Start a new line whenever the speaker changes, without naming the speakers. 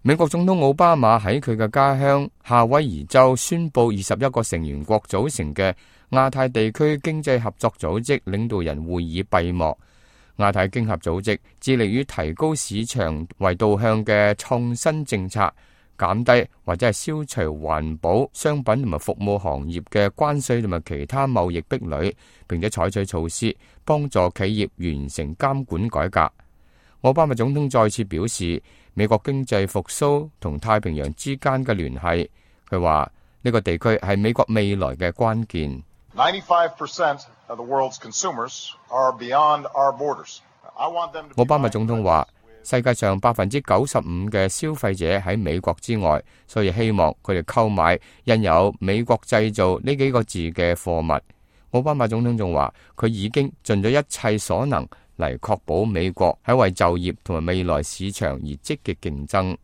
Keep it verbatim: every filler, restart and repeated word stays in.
美國總統奧巴馬喺佢嘅家鄉夏威夷州宣布二十一個成員國組成嘅亞太地區經濟合作組織領導人會議閉幕。亞太經合組織致力於提高市場為導向嘅創新政策，減低或者係消除環保商品同埋服務行業嘅關稅同埋其他貿易壁壘，並且採取措施幫助企業完成監管改革。奧巴馬總統再次表示，美國經濟復甦同太平洋之間嘅聯繫，佢話呢個地區係美國未來嘅關鍵。
ninety-five percent of the world's consumers are beyond our borders. I want them to be
奧巴馬總統話，世界上百分之九十五嘅消費者喺美國之外，所以希望佢哋購買印有美國製造呢幾個字嘅貨物。奧巴馬總統仲話，佢已經盡咗一切所能嚟確保美國喺為就業同埋未來市場而積極競爭。